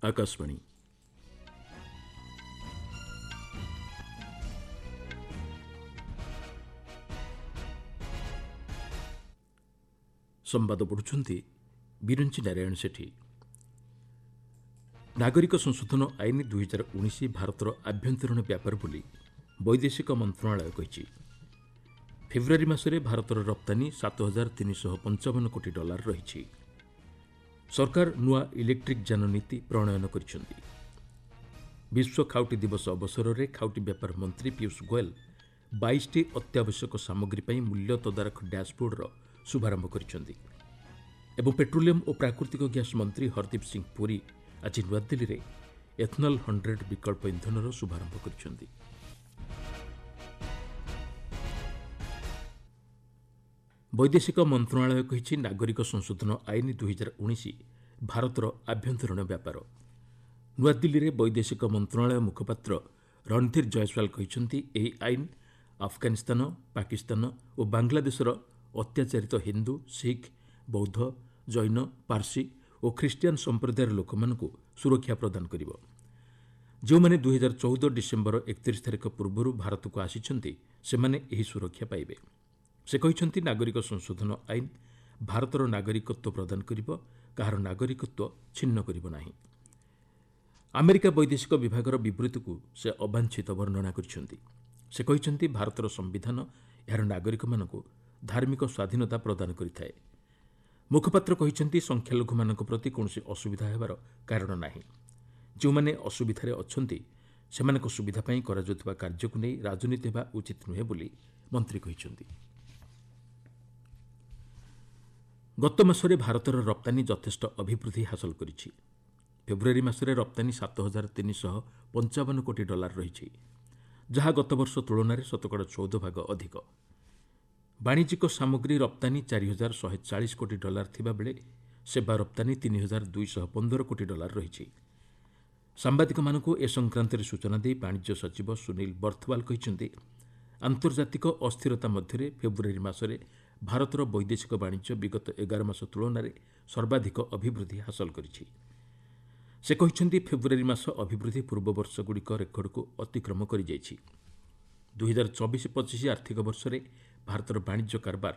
ଆକାଶବାଣୀ। ସମ୍ବାଦ ପଢ଼ୁଛନ୍ତି ବିରଞ୍ଚି ନାରାୟଣ ସେଠୀ। ନାଗରିକ ସଂଶୋଧନ ଆଇନ 2019 ଭାରତର ଆଭ୍ୟନ୍ତରୀଣ ବ୍ୟାପାର ବୋଲି ବୈଦେଶିକ ମନ୍ତ୍ରଣାଳୟ କହିଛି। ଫେବୃୟାରୀ ମାସରେ ଭାରତର ରପ୍ତାନୀ 7355 କୋଟି ଡଲାର ରହିଛି। ସରକାର ନୂଆ ଇଲେକ୍ଟ୍ରିକ୍ ଯାନ ନୀତି ପ୍ରଣୟନ କରିଛନ୍ତି। ବିଶ୍ୱ ଖାଉଟି ଦିବସ ଅବସରରେ ଖାଉଟି ବ୍ୟାପାର ମନ୍ତ୍ରୀ ପୀୟୁଷ ଗୋଏଲ 22ଟି ଅତ୍ୟାବଶ୍ୟକ ସାମଗ୍ରୀ ପାଇଁ ମୂଲ୍ୟ ତଦାରଖ ଡ୍ୟାସ୍ବୋର୍ଡର ଶୁଭାରମ୍ଭ କରିଛନ୍ତି ଏବଂ ପେଟ୍ରୋଲିୟମ୍ ଓ ପ୍ରାକୃତିକ ଗ୍ୟାସ୍ ମନ୍ତ୍ରୀ ହରଦୀପ ସିଂହ ପୁରୀ ଆଜି ନୂଆଦିଲ୍ଲୀରେ ଏଥନଲ୍ 100 ବିକଳ୍ପ ଇନ୍ଧନର ଶୁଭାରମ୍ଭ କରିଛନ୍ତି। ବୈଦେଶିକ ମନ୍ତ୍ରଣାଳୟ କହିଛି, ନାଗରିକ ସଂଶୋଧନ ଆଇନ 2019 ଭାରତର ଆଭ୍ୟନ୍ତରୀଣ ବ୍ୟାପାର। ନୂଆଦିଲ୍ଲୀରେ ବୈଦେଶିକ ମନ୍ତ୍ରଣାଳୟ ମୁଖପାତ୍ର ରଣଧୀର ଜୟସ୍ୱାଲ କହିଛନ୍ତି, ଏହି ଆଇନ ଆଫଗାନିସ୍ତାନ, ପାକିସ୍ତାନ ଓ ବାଂଲାଦେଶର ଅତ୍ୟାଚାରିତ ହିନ୍ଦୁ, ଶିଖ୍, ବୌଦ୍ଧ, ଜୈନ, ପାର୍ସୀ ଓ ଖ୍ରୀଷ୍ଟିଆନ ସମ୍ପ୍ରଦାୟର ଲୋକମାନଙ୍କୁ ସୁରକ୍ଷା ପ୍ରଦାନ କରିବ। ଯେଉଁମାନେ 2014 ଡିସେମ୍ବର 31 ତାରିଖ ପୂର୍ବରୁ ଭାରତକୁ ଆସିଛନ୍ତି, ସେମାନେ ଏହି ସୁରକ୍ଷା ପାଇବେ। ସେ କହିଛନ୍ତି, ନାଗରିକ ସଂଶୋଧନ ଆଇନ ଭାରତର ନାଗରିକତ୍ୱ ପ୍ରଦାନ କରିବ, କାହାର ନାଗରିକତ୍ୱ ଛିନ୍ନ କରିବ ନାହିଁ। ଆମେରିକା ବୈଦେଶିକ ବିଭାଗର ବିବୃତ୍ତିକୁ ସେ ଅବାଞ୍ଛିତ ବର୍ଣ୍ଣନା କରିଛନ୍ତି। ସେ କହିଛନ୍ତି, ଭାରତର ସମ୍ବିଧାନ ଏହାର ନାଗରିକମାନଙ୍କୁ ଧାର୍ମିକ ସ୍ୱାଧୀନତା ପ୍ରଦାନ କରିଥାଏ। ମୁଖପାତ୍ର କହିଛନ୍ତି, ସଂଖ୍ୟାଲଘୁମାନଙ୍କ ପ୍ରତି କୌଣସି ଅସୁବିଧା ହେବାର କାରଣ ନାହିଁ। ଯେଉଁମାନେ ଅସୁବିଧାରେ ଅଛନ୍ତି, ସେମାନଙ୍କ ସୁବିଧା ପାଇଁ କରାଯାଉଥିବା କାର୍ଯ୍ୟକୁ ନେଇ ରାଜନୀତି ହେବା ଉଚିତ ନୁହେଁ ବୋଲି ମନ୍ତ୍ରୀ କହିଛନ୍ତି। ଗତ ମାସରେ ଭାରତର ରପ୍ତାନୀ ଯଥେଷ୍ଟ ଅଭିବୃଦ୍ଧି ହାସଲ କରିଛି। ଫେବୃୟାରୀ ମାସରେ ରପ୍ତାନୀ 7355 କୋଟି ଡଲାର ରହିଛି, ଯାହା ଗତବର୍ଷ ତୁଳନାରେ ଶତକଡ଼ା 14 ଭାଗ ଅଧିକ। ବାଣିଜ୍ୟିକ ସାମଗ୍ରୀ ରପ୍ତାନୀ 4140 କୋଟି ଡଲାର ଥିବାବେଳେ ସେବା ରପ୍ତାନୀ 3215 କୋଟି ଡଲାର ରହିଛି। ସାମ୍ବାଦିକମାନଙ୍କୁ ଏ ସଂକ୍ରାନ୍ତରେ ସୂଚନା ଦେଇ ବାଣିଜ୍ୟ ସଚିବ ସୁନୀଲ ବର୍ଥୱାଲ କହିଛନ୍ତି, ଆନ୍ତର୍ଜାତିକ ଅସ୍ଥିରତା ମଧ୍ୟରେ ଫେବୃୟାରୀ ମାସରେ ଭାରତର ବୈଦେଶିକ ବାଣିଜ୍ୟ ବିଗତ 11 ମାସ ତୁଳନାରେ ସର୍ବାଧିକ ଅଭିବୃଦ୍ଧି ହାସଲ କରିଛି। ସେ କହିଛନ୍ତି, ଫେବୃୟାରୀ ମାସ ଅଭିବୃଦ୍ଧି ପୂର୍ବ ବର୍ଷଗୁଡ଼ିକ ରେକର୍ଡକୁ ଅତିକ୍ରମ କରିଯାଇଛି। 2024-25 ଆର୍ଥିକ ବର୍ଷରେ ଭାରତର ବାଣିଜ୍ୟ କାରବାର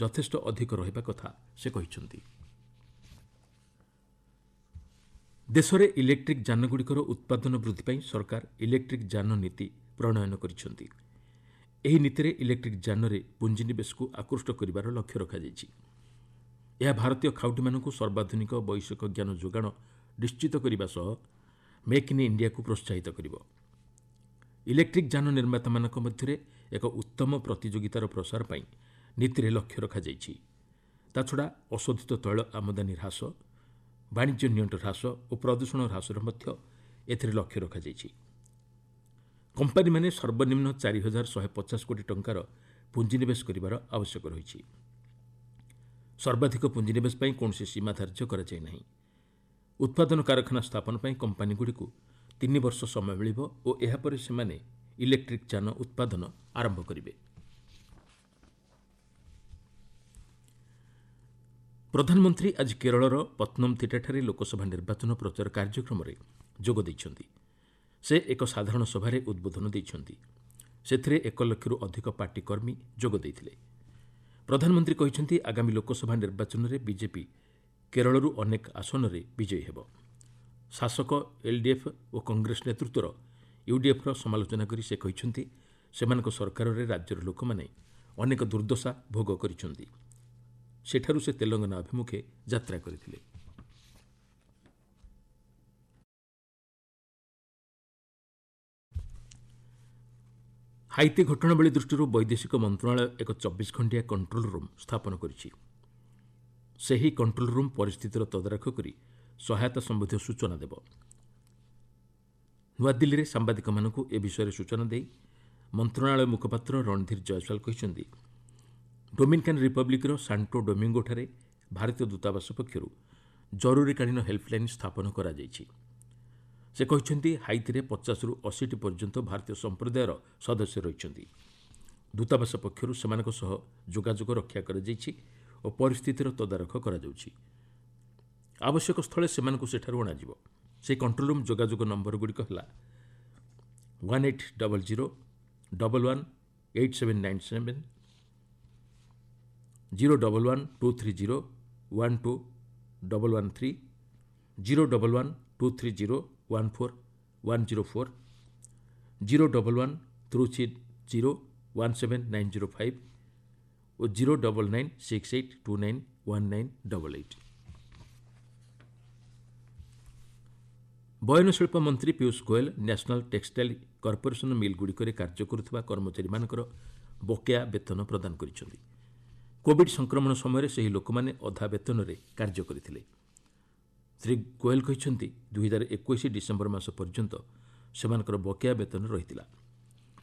ଯଥେଷ୍ଟ ଅଧିକ ରହିବା କଥା ସେ କହିଛନ୍ତି। ଦେଶରେ ଇଲେକ୍ଟ୍ରିକ୍ ଯାନଗୁଡ଼ିକର ଉତ୍ପାଦନ ବୃଦ୍ଧି ପାଇଁ ସରକାର ଇଲେକ୍ଟ୍ରିକ୍ ଯାନ ନୀତି ପ୍ରଣୟନ କରିଛନ୍ତି। ଏହି ନୀତିରେ ଇଲେକ୍ଟ୍ରିକ୍ ଯାନରେ ପୁଞ୍ଜିନିବେଶକୁ ଆକୃଷ୍ଟ କରିବାର ଲକ୍ଷ୍ୟ ରଖାଯାଇଛି। ଏହା ଭାରତୀୟ ଖାଉଟିମାନଙ୍କୁ ସର୍ବାଧୁନିକ ବୈଷୟିକ ଜ୍ଞାନ ଯୋଗାଣ ନିଶ୍ଚିତ କରିବା ସହ ମେକ୍ ଇନ୍ ଇଣ୍ଡିଆକୁ ପ୍ରୋତ୍ସାହିତ କରିବ। ଇଲେକ୍ଟ୍ରିକ୍ ଯାନ ନିର୍ମାତାମାନଙ୍କ ମଧ୍ୟରେ ଏକ ଉତ୍ତମ ପ୍ରତିଯୋଗିତାର ପ୍ରସାର ପାଇଁ ନୀତିରେ ଲକ୍ଷ୍ୟ ରଖାଯାଇଛି। ତାଛଡ଼ା ଅଶୋଧିତ ତୈଳ ଆମଦାନୀ ହ୍ରାସ, ବାଣିଜ୍ୟ ନିଅଣ୍ଟ ହ୍ରାସ ଓ ପ୍ରଦୂଷଣ ହ୍ରାସର ମଧ୍ୟ ଏଥିରେ ଲକ୍ଷ୍ୟ ରଖାଯାଇଛି। କମ୍ପାନୀମାନେ ସର୍ବନିମ୍ନ 4150 କୋଟି ଟଙ୍କାର ପୁଞ୍ଜିନିବେଶ କରିବାର ଆବଶ୍ୟକ ରହିଛି। ସର୍ବାଧିକ ପୁଞ୍ଜିନିବେଶ ପାଇଁ କୌଣସି ସୀମା ଧାର୍ଯ୍ୟ କରାଯାଇ ନାହିଁ। ଉତ୍ପାଦନ କାରଖାନା ସ୍ଥାପନ ପାଇଁ କମ୍ପାନୀଗୁଡ଼ିକୁ 3 ବର୍ଷ ସମୟ ମିଳିବ ଓ ଏହାପରେ ସେମାନେ ଇଲେକ୍ଟ୍ରିକ୍ ଯାନ ଉତ୍ପାଦନ ଆରମ୍ଭ କରିବେ। ପ୍ରଧାନମନ୍ତ୍ରୀ ଆଜି କେରଳର ପତ୍ନମଥିଟାଠାରେ ଲୋକସଭା ନିର୍ବାଚନ ପ୍ରଚାର କାର୍ଯ୍ୟକ୍ରମରେ ଯୋଗ ଦେଇଛନ୍ତି। ସେ ଏକ ସାଧାରଣ ସଭାରେ ଉଦ୍ବୋଧନ ଦେଇଛନ୍ତି। ସେଥିରେ 1 ଲକ୍ଷରୁ ଅଧିକ ପାର୍ଟି କର୍ମୀ ଯୋଗ ଦେଇଥିଲେ। ପ୍ରଧାନମନ୍ତ୍ରୀ କହିଛନ୍ତି, ଆଗାମୀ ଲୋକସଭା ନିର୍ବାଚନରେ ବିଜେପି କେରଳରୁ ଅନେକ ଆସନରେ ବିଜୟୀ ହେବ। ଶାସକ ଏଲ୍ଡିଏଫ୍ ଓ କଂଗ୍ରେସ ନେତୃତ୍ୱର ୟୁଡିଏଫ୍ର ସମାଲୋଚନା କରି ସେ କହିଛନ୍ତି, ସେମାନଙ୍କ ସରକାରରେ ରାଜ୍ୟର ଲୋକମାନେ ଅନେକ ଦୁର୍ଦ୍ଦଶା ଭୋଗ କରିଛନ୍ତି। ସେଠାରୁ ସେ ତେଲଙ୍ଗାନା ଅଭିମୁଖେ ଯାତ୍ରା କରିଥିଲେ। ହାଇତି ଘଟଣାବଳୀ ଦୃଷ୍ଟିରୁ ବୈଦେଶିକ ମନ୍ତ୍ରଣାଳୟ ଏକ 24 ଘଣ୍ଟିଆ କଣ୍ଟ୍ରୋଲ୍ ରୁମ୍ ସ୍ଥାପନ କରିଛି। ସେହି କଣ୍ଟ୍ରୋଲ୍ ରୁମ୍ ପରିସ୍ଥିତିର ତଦାରଖ କରି ସହାୟତା ସମ୍ବନ୍ଧୀୟ ସୂଚନା ଦେବ। ନୂଆଦିଲ୍ଲୀରେ ସାମ୍ବାଦିକମାନଙ୍କୁ ଏ ବିଷୟରେ ସୂଚନା ଦେଇ ମନ୍ତ୍ରଣାଳୟ ମୁଖପାତ୍ର ରଣଧୀର ଜୟସ୍ୱାଲ କହିଛନ୍ତି, ଡୋମିନିକାନ୍ ରିପବ୍ଲିକ୍ର ସାଣ୍ଟୋ ଡୋମିଙ୍ଗୋଠାରେ ଭାରତୀୟ ଦୂତାବାସ ପକ୍ଷରୁ ଜରୁରୀକାଳୀନ ହେଲ୍ପଲାଇନ୍ ସ୍ଥାପନ କରାଯାଇଛି। ସେ କହିଛନ୍ତି, ହାଇତିରେ 50ରୁ 80ଟି ପର୍ଯ୍ୟନ୍ତ ଭାରତୀୟ ସମ୍ପ୍ରଦାୟର ସଦସ୍ୟ ରହିଛନ୍ତି। ଦୂତାବାସ ପକ୍ଷରୁ ସେମାନଙ୍କ ସହ ଯୋଗାଯୋଗ ରକ୍ଷା କରାଯାଇଛି ଓ ପରିସ୍ଥିତିର ତଦାରଖ କରାଯାଉଛି। ଆବଶ୍ୟକ ସ୍ଥଳେ ସେମାନଙ୍କୁ ସେଠାରୁ ଅଣାଯିବ। ସେହି କଣ୍ଟ୍ରୋଲ୍ ରୁମ୍ ଯୋଗାଯୋଗ ନମ୍ବରଗୁଡ଼ିକ ହେଲା 1800 11 8797, 011 230 12 113, 011 230 14 104, 011 230 17905 ଓ 099 68 29 1988। ବୟନଶିଳ୍ପ ମନ୍ତ୍ରୀ Piyush Goyal national textile corporation ମିଲ୍ଗୁଡ଼ିକରେ କାର୍ଯ୍ୟ କରୁଥିବା କର୍ମଚାରୀମାନଙ୍କର ବକେୟା ବେତନ ପ୍ରଦାନ କରିଛନ୍ତି। କୋବିଡ୍ ସଂକ୍ରମଣ ସମୟରେ ସେହି ଲୋକମାନେ ଅଧା ବେତନରେ କାର୍ଯ୍ୟ କରିଥିଲେ। ଶ୍ରୀ ଗୋଏଲ କହିଛନ୍ତି, 2021 ଡିସେମ୍ବର ମାସ ପର୍ଯ୍ୟନ୍ତ ସେମାନଙ୍କର ବକେୟା ବେତନ ରହିଥିଲା।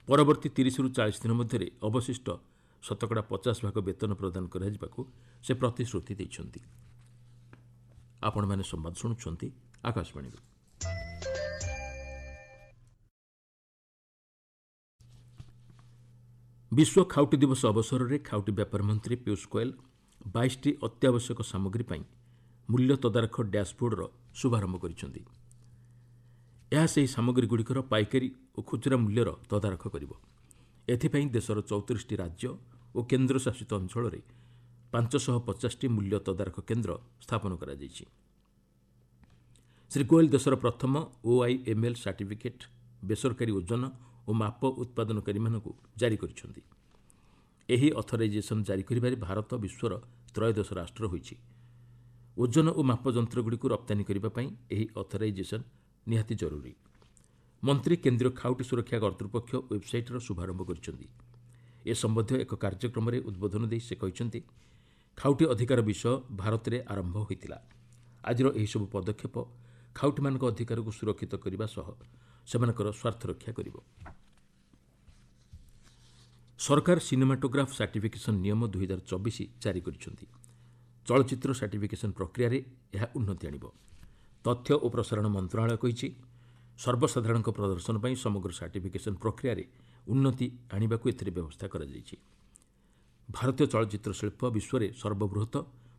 ପରବର୍ତ୍ତୀ 30ରୁ 40 ଦିନ ମଧ୍ୟରେ ଅବଶିଷ୍ଟ 50% ଭାଗ ବେତନ ପ୍ରଦାନ କରାଯିବାକୁ ସେ ପ୍ରତିଶ୍ରୁତି ଦେଇଛନ୍ତି। ଆପଣମାନେ ସମ୍ବାଦ ଶୁଣୁଛନ୍ତି ଆକାଶବାଣୀରୁ। ବିଶ୍ୱ ଖାଉଟି ଦିବସ ଅବସରରେ ଖାଉଟି ବ୍ୟାପାର ମନ୍ତ୍ରୀ ପୀୟୁଷ ଗୋଏଲ 22ଟି ଅତ୍ୟାବଶ୍ୟକ ସାମଗ୍ରୀ ପାଇଁ ମୂଲ୍ୟ ତଦାରଖ ଡ୍ୟାସ୍ବୋର୍ଡର ଶୁଭାରମ୍ଭ କରିଛନ୍ତି। ଏହା ସେହି ସାମଗ୍ରୀଗୁଡ଼ିକର ପାଇକାରୀ ଓ ଖୁଚୁରା ମୂଲ୍ୟର ତଦାରଖ କରିବ। ଏଥିପାଇଁ ଦେଶର 34ଟି ରାଜ୍ୟ ଓ କେନ୍ଦ୍ରଶାସିତ ଅଞ୍ଚଳରେ 550ଟି ମୂଲ୍ୟ ତଦାରଖ କେନ୍ଦ୍ର ସ୍ଥାପନ କରାଯାଇଛି। ଶ୍ରୀ ଗୋଏଲ ଦେଶର ପ୍ରଥମ ଓଆଇଏମ୍ଏଲ୍ ସାର୍ଟିଫିକେଟ୍ ବେସରକାରୀ ଓଜନ ଓ ମାପ ଉତ୍ପାଦନକାରୀମାନଙ୍କୁ ଜାରି କରିଛନ୍ତି। ଏହି ଅଥରାଇଜେସନ୍ ଜାରି କରିବାରେ ଭାରତ ବିଶ୍ୱର ତ୍ରୟୋଦଶ ରାଷ୍ଟ୍ର ହୋଇଛି। ଓଜନ ଓ ମାପ ଯନ୍ତ୍ରଗୁଡ଼ିକୁ ରପ୍ତାନୀ କରିବା ପାଇଁ ଏହି ଅଥରାଇଜେସନ୍ ନିହାତି ଜରୁରୀ। ମନ୍ତ୍ରୀ କେନ୍ଦ୍ରୀୟ ଖାଉଟି ସୁରକ୍ଷା କର୍ତ୍ତୃପକ୍ଷ ୱେବ୍ସାଇଟ୍ର ଶୁଭାରମ୍ଭ କରିଛନ୍ତି। ଏ ସମ୍ବନ୍ଧୀୟ ଏକ କାର୍ଯ୍ୟକ୍ରମରେ ଉଦ୍ବୋଧନ ଦେଇ ସେ କହିଛନ୍ତି, ଖାଉଟି ଅଧିକାର ବିଷୟ ଭାରତରେ ଆରମ୍ଭ ହୋଇଥିଲା। ଆଜିର ଏହିସବୁ ପଦକ୍ଷେପ ଖାଉଟିମାନଙ୍କ ଅଧିକାରକୁ ସୁରକ୍ଷିତ କରିବା ସହ ସେମାନଙ୍କର ସ୍ୱାର୍ଥ ରକ୍ଷା କରିବ। ସରକାର ସିନେମାଟୋଗ୍ରାଫ୍ ସାର୍ଟିଫିକେସନ୍ ନିୟମ 2024 ଜାରି କରିଛନ୍ତି। ଚଳଚ୍ଚିତ୍ର ସାର୍ଟିଫିକେସନ୍ ପ୍ରକ୍ରିୟାରେ ଏହା ଉନ୍ନତି ଆଣିବ। ତଥ୍ୟ ଓ ପ୍ରସାରଣ ମନ୍ତ୍ରଣାଳୟ କହିଛି, ସର୍ବସାଧାରଣଙ୍କ ପ୍ରଦର୍ଶନ ପାଇଁ ସମଗ୍ର ସାର୍ଟିଫିକେସନ୍ ପ୍ରକ୍ରିୟାରେ ଉନ୍ନତି ଆଣିବାକୁ ଏଥିରେ ବ୍ୟବସ୍ଥା କରାଯାଇଛି। ଭାରତୀୟ ଚଳଚ୍ଚିତ୍ର ଶିଳ୍ପ ବିଶ୍ୱରେ ସର୍ବବୃହତ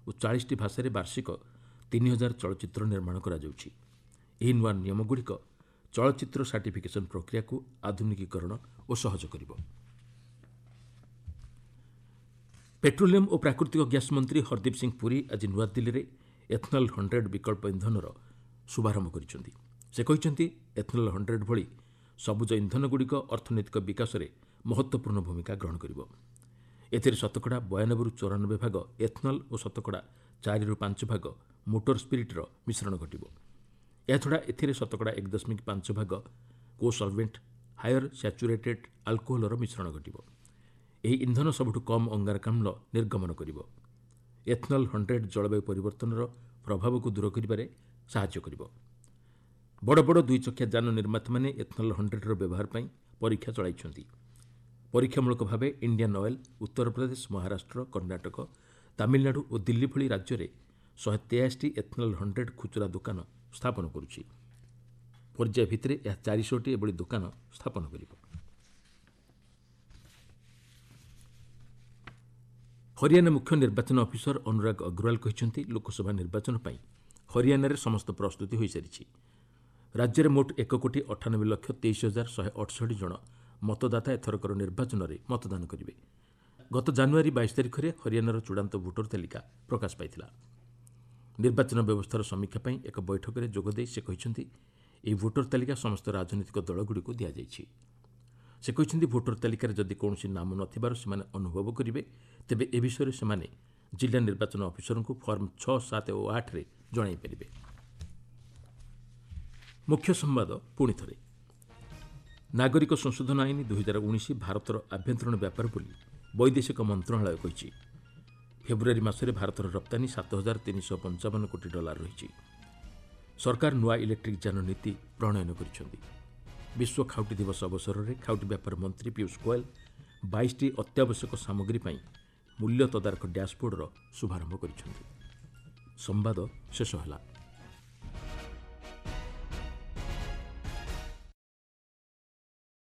ଓ 40ଟି ଭାଷାରେ ବାର୍ଷିକ 3000 ଚଳଚ୍ଚିତ୍ର ନିର୍ମାଣ କରାଯାଉଛି। ଏହି ନୂଆ ନିୟମଗୁଡ଼ିକ ଚଳଚ୍ଚିତ୍ର ସାର୍ଟିଫିକେସନ୍ ପ୍ରକ୍ରିୟାକୁ ଆଧୁନିକୀକରଣ ଓ ସହଜ କରିବ। ପେଟ୍ରୋଲିୟମ୍ ଓ ପ୍ରାକୃତିକ ଗ୍ୟାସ୍ ମନ୍ତ୍ରୀ ହରଦୀପ ସିଂ ପୁରୀ ଆଜି ନୂଆଦିଲ୍ଲୀରେ ଏଥନଲ୍ 100 ବିକଳ୍ପ ଇନ୍ଧନର ଶୁଭାରମ୍ଭ କରିଛନ୍ତି। ସେ କହିଛନ୍ତି, ଏଥନଲ୍ 100 ଭଳି ସବୁଜ ଇନ୍ଧନଗୁଡ଼ିକ ଅର୍ଥନୈତିକ ବିକାଶରେ ମହତ୍ତ୍ୱପୂର୍ଣ୍ଣ ଭୂମିକା ଗ୍ରହଣ କରିବ। ଏଥିରେ 92% 94% ଭାଗ ଏଥନଲ୍ ଓ 4% 5% ଭାଗ ମୋଟର ସ୍ପିରିଟ୍ର ମିଶ୍ରଣ ଘଟିବ। ଏହାଛଡ଼ା ଏଥିରେ 1.5% ଭାଗ କୋସଲଭେଣ୍ଟ ହାୟର ସ୍ୟାଚୁରେଟେଡ୍ ଆଲକୋହଲର ମିଶ୍ରଣ ଘଟିବ। ଏହି ଇନ୍ଧନ ସବୁଠୁ କମ୍ ଅଙ୍ଗାରକାମ୍ଳ ନିର୍ଗମନ କରିବ। ଏଥନଲ୍ 100 ଜଳବାୟୁ ପରିବର୍ତ୍ତନର ପ୍ରଭାବକୁ ଦୂର କରିବାରେ ସାହାଯ୍ୟ କରିବ। ବଡ଼ ବଡ଼ ଦୁଇଚକିଆ ଯାନ ନିର୍ମାତାମାନେ ଏଥନଲ୍ 100ର ବ୍ୟବହାର ପାଇଁ ପରୀକ୍ଷା ଚଳାଇଛନ୍ତି। ପରୀକ୍ଷାମୂଳକ ଭାବେ ଇଣ୍ଡିଆନ୍ ଅଏଲ୍ ଉତ୍ତରପ୍ରଦେଶ, ମହାରାଷ୍ଟ୍ର, କର୍ଣ୍ଣାଟକ, ତାମିଲନାଡୁ ଓ ଦିଲ୍ଲୀ ଭଳି ରାଜ୍ୟରେ 183ଟି ଏଥନଲ୍ 100 ଖୁଚୁରା ଦୋକାନ ସ୍ଥାପନ କରୁଛି। ପର୍ଯ୍ୟାୟ ଭିତ୍ତିରେ ଏହା 400ଟି ଏଭଳି ଦୋକାନ ସ୍ଥାପନ କରିବ। ହରିୟାଣା ମୁଖ୍ୟ ନିର୍ବାଚନ ଅଫିସର ଅନୁରାଗ ଅଗ୍ରୱାଲ କହିଛନ୍ତି, ଲୋକସଭା ନିର୍ବାଚନ ପାଇଁ ହରିୟାଣାରେ ସମସ୍ତ ପ୍ରସ୍ତୁତି ହୋଇସାରିଛି। ରାଜ୍ୟରେ ମୋଟ 1,98,23,168 ଜଣ ମତଦାତା ଏଥରକର ନିର୍ବାଚନରେ ମତଦାନ କରିବେ। ଗତ ଜାନୁଆରୀ 22 ତାରିଖରେ ହରିୟାଣାର ଚୂଡ଼ାନ୍ତ ଭୋଟର ତାଲିକା ପ୍ରକାଶ ପାଇଥିଲା। ନିର୍ବାଚନ ବ୍ୟବସ୍ଥାର ସମୀକ୍ଷା ପାଇଁ ଏକ ବୈଠକରେ ଯୋଗଦେଇ ସେ କହିଛନ୍ତି, ଏହି ଭୋଟର ତାଲିକା ସମସ୍ତ ରାଜନୈତିକ ଦଳଗୁଡ଼ିକୁ ଦିଆଯାଇଛି। ସେ କହିଛନ୍ତି, ଭୋଟର ତାଲିକାରେ ଯଦି କୌଣସି ନାମ ନଥିବାର ସେମାନେ ଅନୁଭବ କରିବେ, ତେବେ ଏ ବିଷୟରେ ସେମାନେ ଜିଲ୍ଲା ନିର୍ବାଚନ ଅଫିସରଙ୍କୁ ଫର୍ମ 6, 7 ଓ 8ରେ ଜଣାଇ ପାରିବେ। ମୁଖ୍ୟ ସମ୍ବାଦ ପୁଣି ଥରେ। ନାଗରିକ ସଂଶୋଧନ ଆଇନ 2019 ଭାରତର ଆଭ୍ୟନ୍ତରୀଣ ବ୍ୟାପାର ବୋଲି ବୈଦେଶିକ ମନ୍ତ୍ରଣାଳୟ କହିଛି। ଫେବୃଆରୀ ମାସରେ ଭାରତର ରପ୍ତାନୀ 7,355 କୋଟି ଡଲାର ରହିଛି। ସରକାର ନୂଆ ଇଲେକ୍ଟ୍ରିକ୍ ଯାନ ନୀତି ପ୍ରଣୟନ କରିଛନ୍ତି। ବିଶ୍ୱ ଖାଉଟି ଦିବସ ଅବସରରେ ଖାଉଟି ବ୍ୟାପାର ମନ୍ତ୍ରୀ ପୀୟୁଷ ଗୋଏଲ 22ଟି ଅତ୍ୟାବଶ୍ୟକ ସାମଗ୍ରୀ ପାଇଁ ମୂଲ୍ୟ ତଦାରଖ ଡ୍ୟାସ୍ବୋର୍ଡର ଶୁଭାରମ୍ଭ କରିଛନ୍ତି। ସମ୍ବାଦ ଶେଷ ହେଲା।